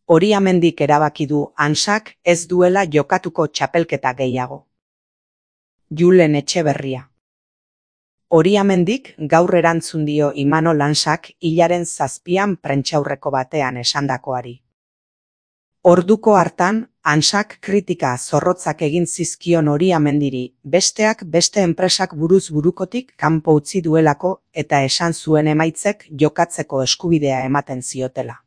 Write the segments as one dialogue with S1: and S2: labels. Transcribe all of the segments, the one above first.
S1: Oriamendik erabaki du Hansak ez duela jokatuko txapelketa gehiago. Julen Etxeberria. Oriamendik gaur erantzun dio Imanol Hansak hilaren 7an prentsaurreko batean esandakoari. Orduko hartan, Hansak kritika zorrotzak egin zizkion Oriamendiri, besteak beste enpresak buruz burukotik kanpo utzi duelako eta esan zuen emaitzek jokatzeko eskubidea ematen ziotela.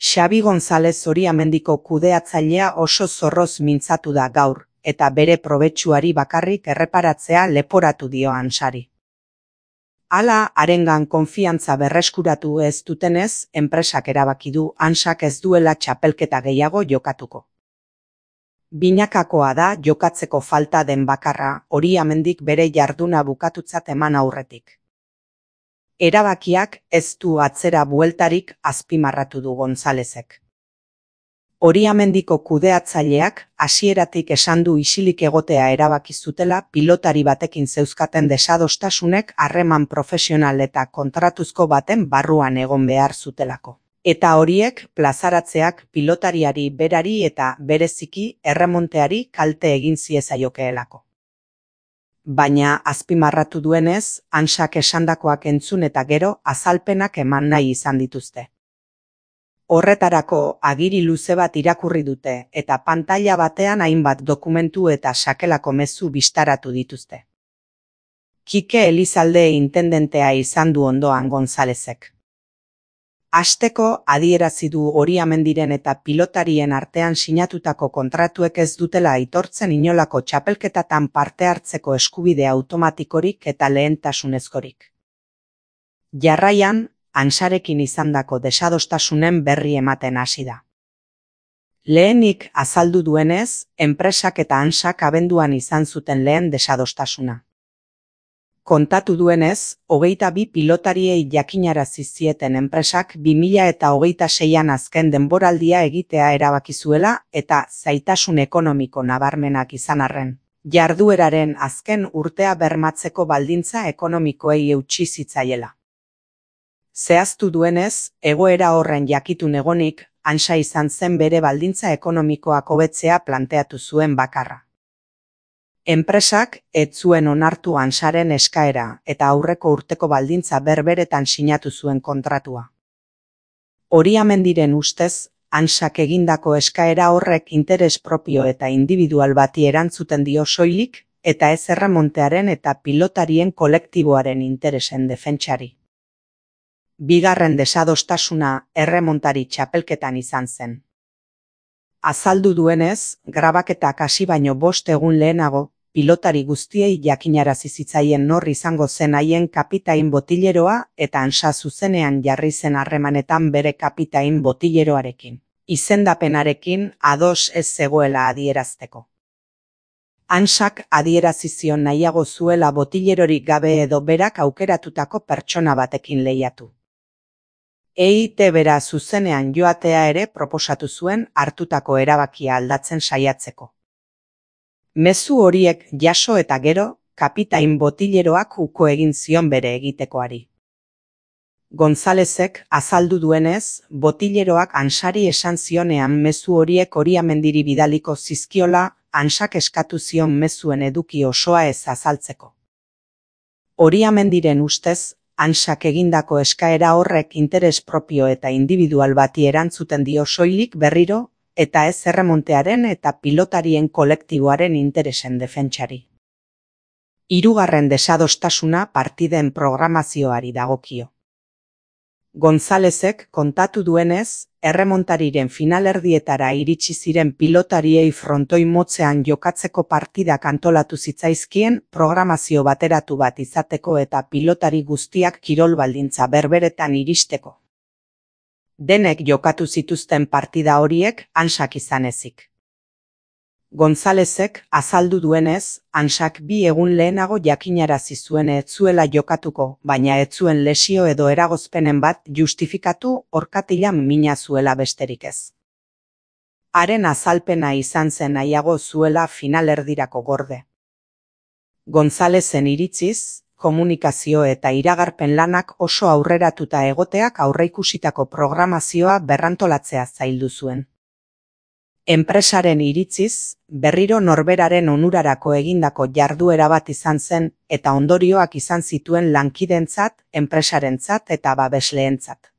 S1: Xabi González Oriamendiko kudeatzailea oso zorroz mintzatu da gaur, eta bere probetxuari bakarrik erreparatzea leporatu dio Hansari. Hala, harengan konfiantza berreskuratu ez dutenez, enpresak erabaki du Hansak ez duela txapelketa gehiago jokatuko. Binakakoa da jokatzeko falta den bakarra, Oriamendik bere jarduna bukatutzat eman aurretik. Erabakiak ez du atzera bueltarik, azpimarratu du Gonzálezek. Oriamendiko kudeatzaileak hasieratik esan du isilik egotea erabaki zutela pilotari batekin zeuzkaten desadostasunek harreman profesional eta kontratuzko baten barruan egon behar zutelako. Eta horiek plazaratzeak pilotariari berari eta bereziki erremonteari kalte egin ziezaiokeelako. Baina azpimarratu duenez, Hansak esandakoak entzun eta gero azalpenak eman nahi izan dituzte. Horretarako agiri luze bat irakurri dute eta pantaila batean hainbat dokumentu eta sakelako mezu bistaratu dituzte. Kike Elizalde intendentea izan du ondoan Gonzálezek. Hasteko adierazi du Oriamendiren eta pilotarien artean sinatutako kontratuek ez dutela aitortzen inolako txapelketatan parte hartzeko eskubide automatikorik eta lehentasunezkorik. Jarraian, Hansarekin izandako desadostasunen berri ematen hasi da. Lehenik azaldu duenez, enpresak eta Hansak abenduan izan zuten lehen desadostasuna. Kontatu duenez, 22 pilotariei jakinarazi zieten enpresak 2026an azken denboraldia egitea erabaki zuela eta zailtasun ekonomiko nabarmenak izan arren, jardueraren azken urtea bermatzeko baldintza ekonomikoei eutsi zitzaiela. Zehaztu duenez, egoera horren jakitun egonik, Hansa izan zen bere baldintza ekonomikoak hobetzea planteatu zuen bakarra. Enpresak ez zuen onartu Hansaren eskaera eta aurreko urteko baldintza berberetan sinatu zuen kontratua. Oriamendiren ustez, Hansak egindako eskaera horrek interes propio eta individual bati erantzuten dio soilik eta ez erremontearen eta pilotarien kolektiboaren interesen defentsari. Bigarren desadostasuna erremontari txapelketan izan zen. Azaldu duenez, grabaketak hasi baino 5 egun lehenago, pilotari guztiei jakinarazi zitzaien nor izango zen haien kapitain botileroa eta Hansa zuzenean jarri zen harremanetan bere kapitain botileroarekin. Izendapenarekin ados ez zegoela adierazteko. Hansak adierazi zion nahiago zuela botilerorik gabe edo berak aukeratutako pertsona batekin lehiatu. EITB-ra zuzenean joatea ere proposatu zuen hartutako erabakia aldatzen saiatzeko. Mezu horiek jaso eta gero, kapitain botileroak uko egin zion bere egitekoari. Gonzálezek azaldu duenez, botileroak Hansari esan zionean mezu horiek Oriamendiri bidaliko zizkiola, Hansak eskatu zion mezuen eduki osoa ez azaltzeko. Oriamendiren ustez, Hansak egindako eskaera horrek interes propio eta individual bati erantzuten dio soilik berriro, eta ez erremontearen eta pilotarien kolektiboaren interesen defentsari. Hirugarren desadostasuna partiden programazioari dagokio. Gonzálezek kontatu duenez, erremontariren finalerdietara iritsi ziren pilotariei frontoi motzean jokatzeko partidak antolatu zitzaizkien programazio bateratu bat izateko eta pilotari guztiak kirol baldintza berberetan iristeko. Denek jokatu zituzten partida horiek Hansak izan ezik. Gonzálezek azaldu duenez, Hansak 2 egun lehenago jakinarazi zuen ez zuela jokatuko, baina ez zuen lesio edo eragozpenen bat justifikatu orkatilan mina zuela besterik ez. Haren azalpena izan zen nahiago zuela finalerdirako gorde. Gonzálezen iritziz, komunikazio eta iragarpen lanak oso aurreratuta egoteak aurreikusitako programazioa berrantolatzea zaildu zuen. Enpresaren iritziz, berriro norberaren onurarako egindako jarduera bat izan zen eta ondorioak izan zituen lankideentzat, enpresarentzat eta babesleentzat.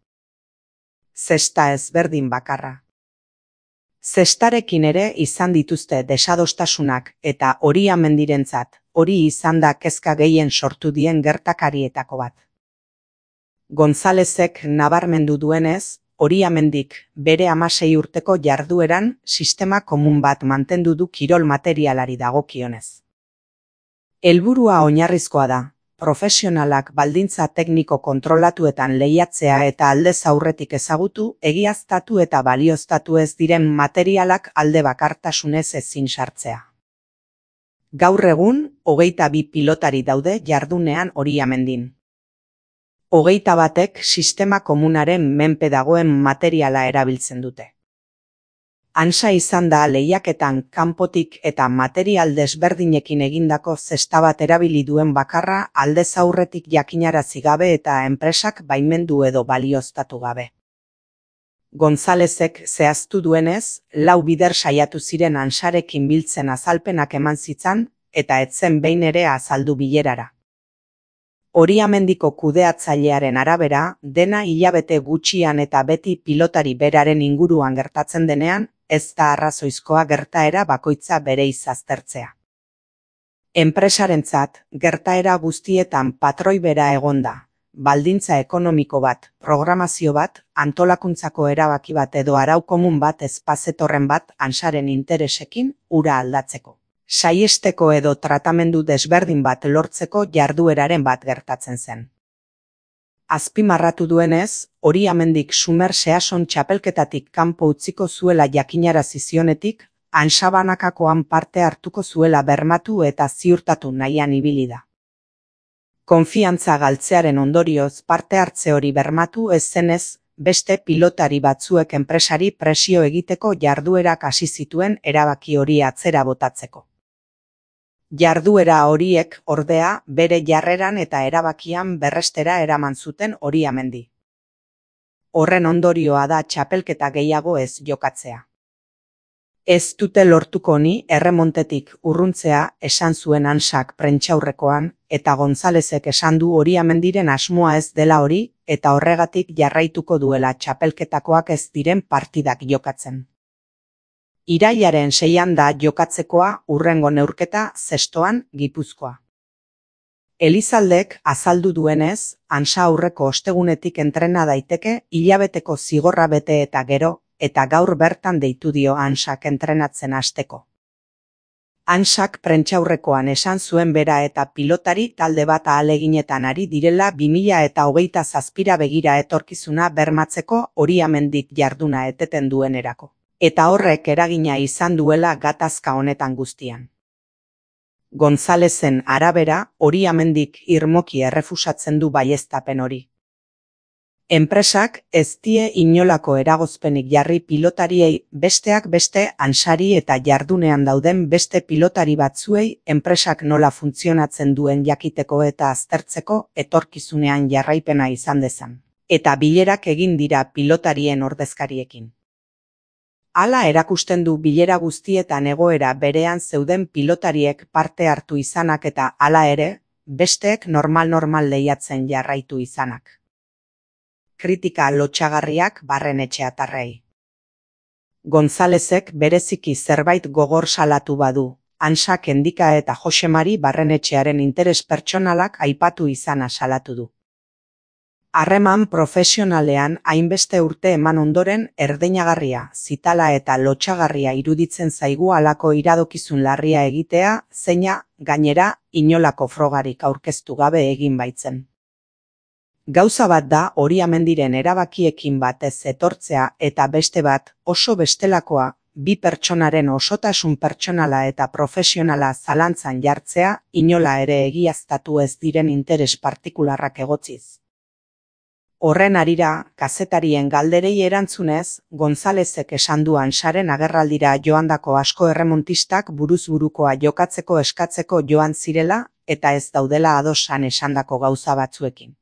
S1: Zesta ezberdin bakarra. Zestarekin ere izan dituzte desadostasunak eta Oriamendirentzat hori izan da kezka gehien sortu dien gertakarietako bat. Gonzalezek nabarmendu duenez, Oriamendik bere 16 urteko jardueran sistema komun bat mantendu du kirol materialari dagokionez. Helburua oinarrizkoa da, profesionalak baldintza tekniko kontrolatuetan lehiatzea eta aldez aurretik ezagutu, egiaztatu eta balioztatu ez diren materialak alde bakartasunez ezin sartzea. Gaur egun, 22 pilotari daude jardunean Oriamendin. 21ek sistema komunaren menpe dagoen materiala erabiltzen dute. Ansa izan da lehiaketan kanpotik eta material desberdinekin egindako zesta bat erabili duen bakarra aldez aurretik jakinarazi gabe eta enpresak baimendu edo balioztatu gabe. Gonzalezek zehaztu duenez, 4 bider saiatu ziren Ansarekin biltzen azalpenak eman zitzan eta etzen behin ere azaldu bilerara. Oriamendiko kudeatzailearen arabera, dena hilabete gutxian eta beti pilotari beraren inguruan gertatzen denean, ez da arrazoizkoa gertaera bakoitza bere aztertzea. Enpresarentzat, gertaera guztietan patroi bera egonda, baldintza ekonomiko bat, programazio bat, antolakuntzako erabaki bat edo arau komun bat ezpazetorren bat Ansaren interesekin ura aldatzeko. Saiesteko edo tratamendu desberdin bat lortzeko jardueraren bat gertatzen zen. Azpimarratu duenez, Oriamendik Sumer Season txapelketatik kanpo utziko zuela jakinarazi zionetik, Ansabanakakoan parte hartuko zuela bermatu eta ziurtatu nahian ibili da. Konfiantza galtzearen ondorioz parte hartze hori bermatu ez zenez, beste pilotari batzuek enpresari presio egiteko jarduerak hasi zituen erabaki hori atzera botatzeko. Jarduera horiek, ordea, bere jarreran eta erabakian berrestera eraman zuten Oriamendi. Horren ondorioa da txapelketa gehiago ez jokatzea. Ez dute lortuko ni erremontetik urruntzea esan zuen Ansak prentsaurrekoan, eta Gonzalezek esan du Oriamendiren asmoa ez dela hori, eta horregatik jarraituko duela txapelketakoak ez diren partidak jokatzen. Irailaren 6 da jokatzekoa hurrengo neurketa Zestoan, Gipuzkoa. Elizaldek azaldu duenez, Ansa aurreko ostegunetik entrena daiteke hilabeteko zigorra bete eta gero, eta gaur bertan deitu dio Ansak entrenatzen hasteko. Ansak prentsaurrekoan esan zuen bera eta pilotari talde bat ahaleginetan ari direla 2027 begira etorkizuna bermatzeko Oriamendik jarduna eteten duenerako. Eta horrek eragina izan duela gatazka honetan guztian. Gonzalezen arabera, Oriamendik irmoki errefusatzen du baieztapen hori. Enpresak ez die inolako eragozpenik jarri pilotariei besteak beste Ansari eta jardunean dauden beste pilotari batzuei enpresak nola funtzionatzen duen jakiteko eta aztertzeko etorkizunean jarraipena izan dezan. Eta bilerak egin dira pilotarien ordezkariekin. Hala erakusten du bilera guztietan egoera berean zeuden pilotariek parte hartu izanak eta hala ere, besteek normal lehiatzen jarraitu izanak. Kritika lotsagarriak Barrenetxeatarrei. Gonzalezek bereziki zerbait gogor salatu badu, Ansak Endika eta Josemari Barrenetxearen interes pertsonalak aipatu izana salatu du. Harreman profesionalean hainbeste urte eman ondoren erdeinagarria, zitala eta lotsagarria iruditzen zaigu halako iradokizun larria egitea, zeina, gainera, inolako frogarik aurkeztu gabe egin baitzen. Gauza bat da Oriamendiren erabakiekin batez etortzea eta beste bat, oso bestelakoa, bi pertsonaren osotasun pertsonala eta profesionala zalantzan jartzea, inola ere egiaztatu ez diren interes partikularrak egotziz. Horren harira, kazetarien galderei erantzunez, Gonzalezek esan du Ansaren agerraldira joandako asko erremontistak buruz burukoa jokatzeko eskatzeko joan zirela eta ez daudela adosan esandako gauza batzuekin.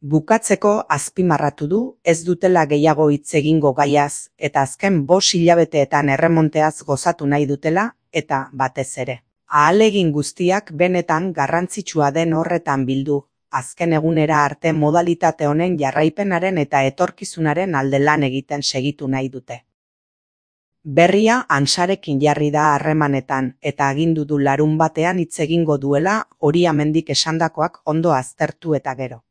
S1: Bukatzeko azpimarratu du ez dutela gehiago hitz egingo gaiaz eta azken 5 hilabeteetan erremonteaz gozatu nahi dutela eta batez ere. Ahalegin guztiak benetan garrantzitsua den horretan bildu, azken egunera arte modalitate honen jarraipenaren eta etorkizunaren alde lan egiten segitu nahi dute. Berria Antsarekin jarri da harremanetan eta agindu du larunbatean hitz egingo duela Hori Amendik esandakoak ondo aztertu eta gero.